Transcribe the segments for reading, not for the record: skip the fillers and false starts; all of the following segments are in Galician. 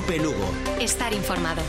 COPE Lugo. Estar informado.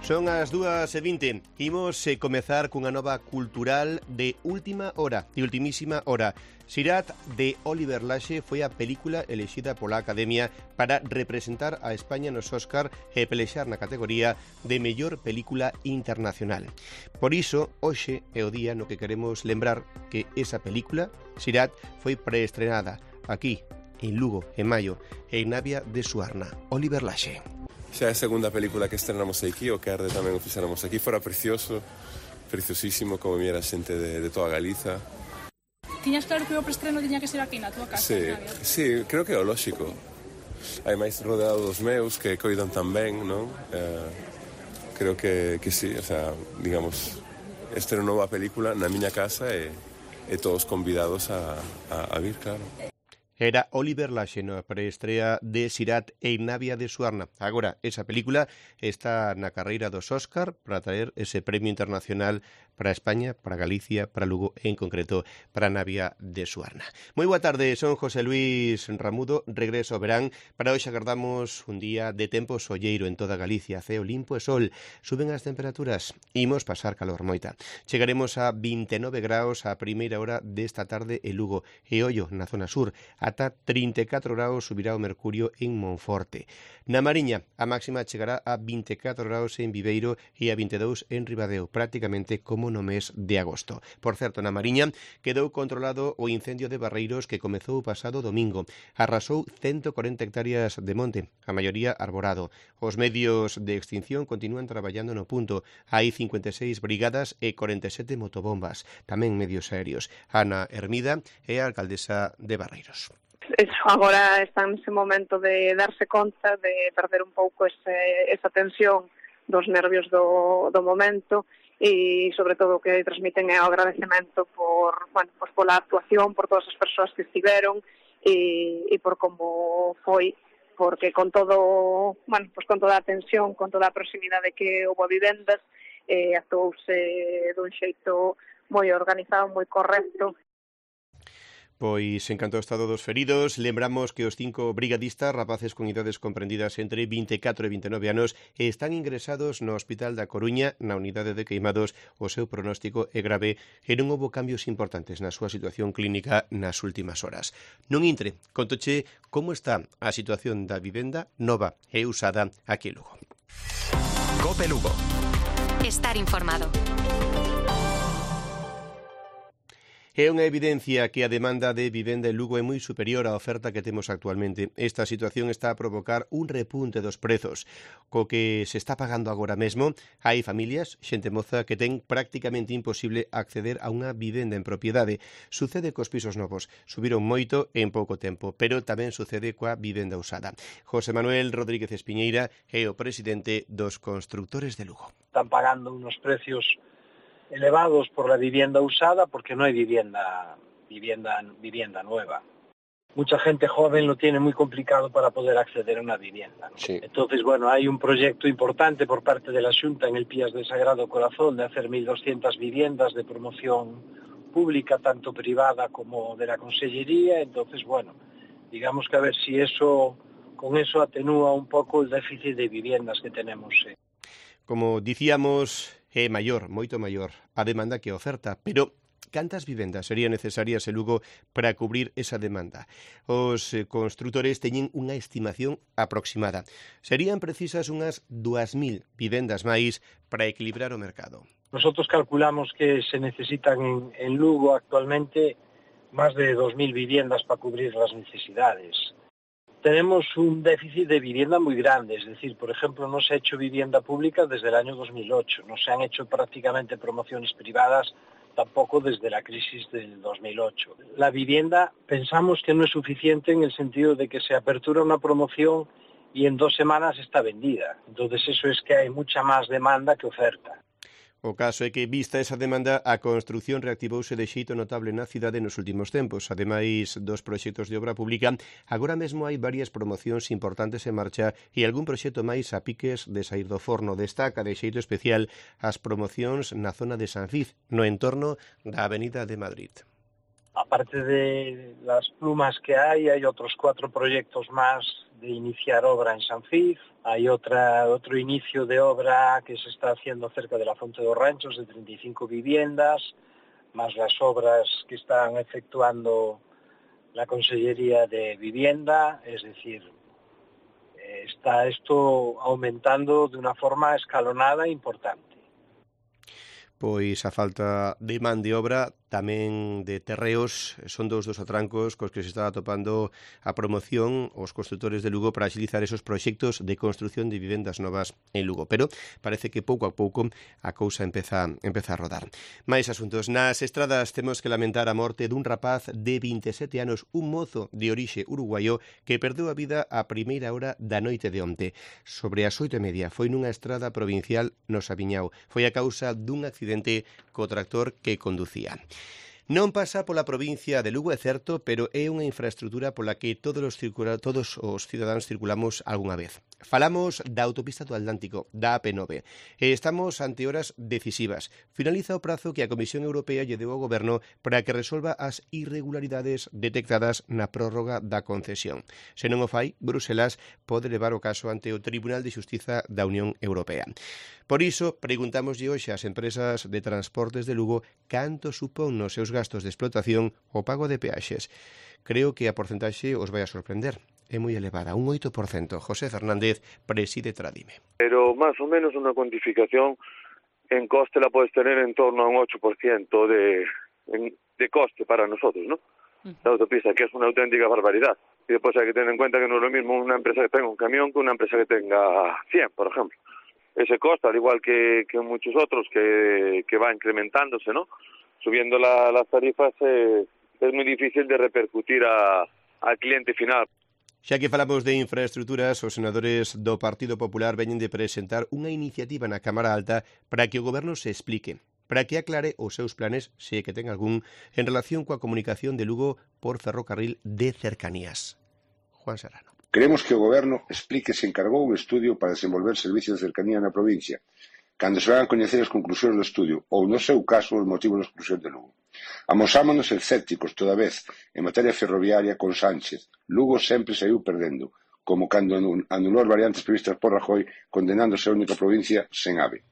Son as 2:20. Imos comezar cunha nova cultural de última hora, de ultimísima hora. Sirat, de Oliver Laxe, foi a película elexida pola Academia para representar a España nos Óscar e pelexar na categoría de mellor película internacional. Por iso, hoxe é o día no que queremos lembrar que esa película, Sirat, foi preestrenada aquí, en Lugo, en maio, en Navia de Suarna. Oliver Laxe. Xa é a segunda película que estrenamos aquí, o Querde tamén o fixéramos aquí, fora precioso, preciosísimo, como viera xente de toda Galiza. Tiñas claro que o preestreno tiña que ser aquí na túa casa? Sí, creo que é o lóxico. Hai máis rodeado dos meus que coidan tan ben, non? Creo que sí, o sea, digamos, estreno nova película na miña casa e todos convidados a vir, claro. Era Oliver Laxe na preestrea de Sirat en Navia de Suarna. Agora, esa película está na carreira dos Óscar para traer ese premio internacional para España, para Galicia, para Lugo e, en concreto, para Navia de Suarna. Moi boa tarde, son José Luis Ramudo, regreso ao verán. Para hoxe agardamos un día de tempo solleiro en toda Galicia, ceo limpo e sol. Suben as temperaturas, imos pasar calor moita. Chegaremos a 29 graus a primeira hora desta tarde en Lugo e Ollo, na zona sur. Ata 34 graus subirá o mercurio en Monforte. Na Mariña, a máxima chegará a 24 graus en Viveiro e a 22 en Ribadeo, prácticamente como no mes de agosto. Por certo, na Mariña quedou controlado o incendio de Barreiros que comezou o pasado domingo. Arrasou 140 hectáreas de monte, a maioría arborado. Os medios de extinción continúan traballando no punto. Hai 56 brigadas e 47 motobombas, tamén medios aéreos. Ana Hermida é a alcaldesa de Barreiros. Agora está nese momento de darse conta, de perder un pouco esa tensión dos nervios do momento e, sobre todo, o que transmiten é o agradecemento pola actuación, por todas as persoas que estiveron e por como foi, porque con todo, con toda a tensión, con toda a proximidade que houve a vivendas, actuouse dun xeito moi organizado, moi correcto. Pois, en canto ao estado dos feridos, lembramos que os 5 brigadistas, rapaces con idades comprendidas entre 24 e 29 anos, están ingresados no Hospital da Coruña, na unidade de queimados. O seu pronóstico é grave e non houbo cambios importantes na súa situación clínica nas últimas horas. Non intre, contoche como está a situación da vivenda nova e usada aquí en Lugo. COPE Lugo. Estar informado. É unha evidencia que a demanda de vivenda en Lugo é moi superior á oferta que temos actualmente. Esta situación está a provocar un repunte dos prezos, co que se está pagando agora mesmo. Hai familias, xente moza, que ten prácticamente imposible acceder a unha vivenda en propiedade. Sucede cos pisos novos, subiron moito en pouco tempo, pero tamén sucede coa vivenda usada. José Manuel Rodríguez Espiñeira é o presidente dos constructores de Lugo. Están pagando unos precios elevados por la vivienda usada porque no hay vivienda nueva. Mucha gente joven lo tiene muy complicado para poder acceder a una vivienda, ¿no? Sí. Entonces, hay un proyecto importante por parte de la Xunta en el Pías del Sagrado Corazón de hacer 1.200 viviendas de promoción pública, tanto privada como de la Consellería. Entonces, digamos que a ver si con eso atenúa un poco el déficit de viviendas que tenemos. Como dicíamos, é maior, moito maior, a demanda que a oferta, pero cantas vivendas serían necesarias en Lugo para cubrir esa demanda? Os construtores teñen unha estimación aproximada. Serían precisas unhas 2.000 vivendas máis para equilibrar o mercado. Nosotros calculamos que se necesitan en Lugo actualmente más de 2.000 viviendas para cubrir las necesidades. Tenemos un déficit de vivienda muy grande, es decir, por ejemplo, no se ha hecho vivienda pública desde el año 2008, no se han hecho prácticamente promociones privadas tampoco desde la crisis del 2008. La vivienda pensamos que no es suficiente en el sentido de que se apertura una promoción y en 2 semanas está vendida. Entonces eso es que hay mucha más demanda que oferta. O caso é que, vista esa demanda, a construción reactivouse de xeito notable na cidade nos últimos tempos. Ademais dos proxectos de obra pública, agora mesmo hai varias promocións importantes en marcha e algún proxecto máis a piques de sair do forno. Destaca de xeito especial as promocións na zona de Sanfiz, no entorno da Avenida de Madrid. Aparte de las plumas que hay otros 4 proyectos más de iniciar obra en Sanfiz. Hay otro inicio de obra que se está haciendo cerca de la Fonte dos Ranchos de 35 viviendas, más las obras que están efectuando la Consellería de Vivienda. Es decir, está esto aumentando de una forma escalonada e importante. Pois a falta de man de obra, tamén de terreos, son dos atrancos cos que se está atopando a promoción os construtores de Lugo para agilizar esos proxectos de construción de vivendas novas en Lugo. Pero parece que pouco a pouco a cousa empeza a rodar. Mais asuntos. Nas estradas temos que lamentar a morte dun rapaz de 27 anos, un mozo de orixe uruguayo que perdeu a vida a primeira hora da noite de onte. Sobre as 8:30 foi nunha estrada provincial no Sabiñao. Foi a causa dun accidente co tractor que conducía. Non pasa pola provincia de Lugo, é certo, pero é unha infraestrutura pola que todos os cidadáns circulamos algunha vez. Falamos da autopista do Atlántico, da AP9, e estamos ante horas decisivas. Finaliza o prazo que a Comisión Europea lle deu ao Goberno para que resolva as irregularidades detectadas na prórroga da concesión. Se non o fai, Bruselas pode levar o caso ante o Tribunal de Xustiza da Unión Europea. Por iso, preguntámoslle hoxe ás empresas de transportes de Lugo canto supón nos seus gastos de explotación o pago de peaxes. Creo que a porcentaxe os vai a sorprender. É moi elevada, un 8%. José Fernández preside Tradime. Pero más o menos una cuantificación en coste la puedes tener en torno a un 8% de coste para nosotros, ¿no? La autopista, que es una auténtica barbaridad. Y después hay que tener en cuenta que no es lo mismo una empresa que tenga un camión que una empresa que tenga 100, por ejemplo. Ese coste, al igual que muchos otros, que va incrementándose, ¿no? Subiendo las tarifas, es muy difícil de repercutir al cliente final. Xa que falamos de infraestructuras, os senadores do Partido Popular veñen de presentar unha iniciativa na Cámara Alta para que o Goberno se explique, para que aclare os seus planes, se é que ten algún, en relación coa comunicación de Lugo por ferrocarril de cercanías. Juan Serrano. Queremos que o Goberno explique se encargou un estudio para desenvolver servicios de cercanía na provincia, cando se van a coñecer as conclusións do estudio, ou, no seu caso, os motivos da exclusión de Lugo. Amosámonos escépticos toda vez en materia ferroviaria con Sánchez. Lugo sempre saiu perdendo, como cando anulou as variantes previstas por Rajoy, condenándose a única provincia sen AVE.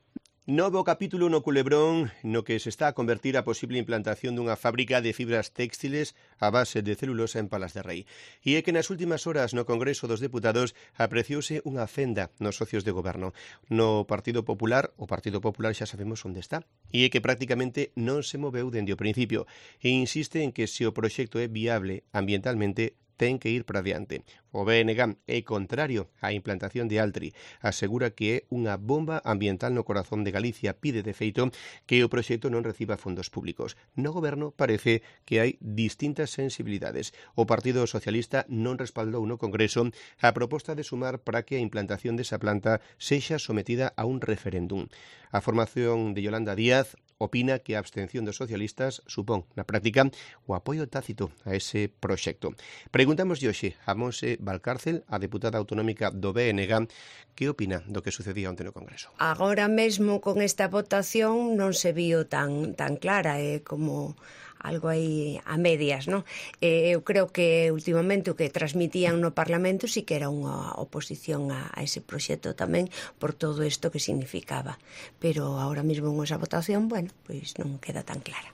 Novo capítulo no Culebrón no que se está a convertir a posible implantación dunha fábrica de fibras textiles a base de celulosa en Palas de Rei. E é que nas últimas horas no Congreso dos Deputados apreciouse unha fenda nos socios de goberno. No Partido Popular, o Partido Popular xa sabemos onde está. E é que prácticamente non se moveu dende o principio e insiste en que se o proxecto é viable ambientalmente ten que ir para diante. O BNG é contrario á implantación de Altri. Asegura que é unha bomba ambiental no corazón de Galicia. Pide, de feito, que o proxecto non reciba fondos públicos. No goberno parece que hai distintas sensibilidades. O Partido Socialista non respaldou no Congreso a proposta de sumar para que a implantación desa planta sexa sometida a un referéndum. A formación de Yolanda Díaz opina que a abstención dos socialistas supón, na práctica, o apoio tácito a ese proxecto. Preguntámoslle hoxe a Monse Valcárcel, a deputada autonómica do BNG, que opina do que sucedía onte no Congreso. Agora mesmo con esta votación non se vio tan clara, como algo aí a medias, non? Eu creo que últimamente o que transmitían no Parlamento sí que era unha oposición a ese proxecto tamén por todo isto que significaba. Pero agora mesmo con esa votación, bueno, pois non queda tan clara.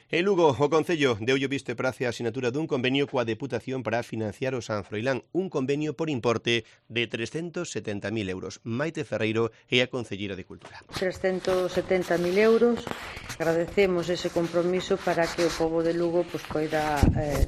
En Lugo, o Concello deulle visto e prace a asinatura dun convenio coa Deputación para financiar o San Froilán, un convenio por importe de 370.000 euros. Maite Ferreiro é a Concelleira de Cultura. 370.000 euros. Agradecemos ese compromiso para que o pobo de Lugo poida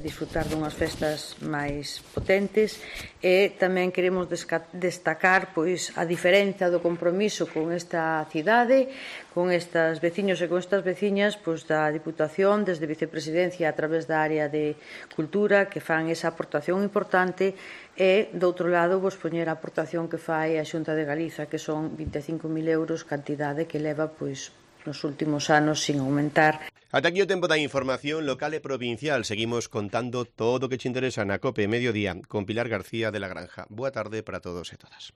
disfrutar dunhas festas máis potentes e tamén queremos destacar a diferenza do compromiso con esta cidade, con estes veciños e con estas veciñas da Diputación, desde Vicepresidencia a través da área de Cultura, que fan esa aportación importante e, do outro lado, poñer a aportación que fai a Xunta de Galiza, que son 25.000 euros, cantidade que leva nos últimos anos sin aumentar. Ata aquí o tempo da información local e provincial. Seguimos contando todo o que te interesa na COPE Mediodía con Pilar García de la Granja. Boa tarde para todos e todas.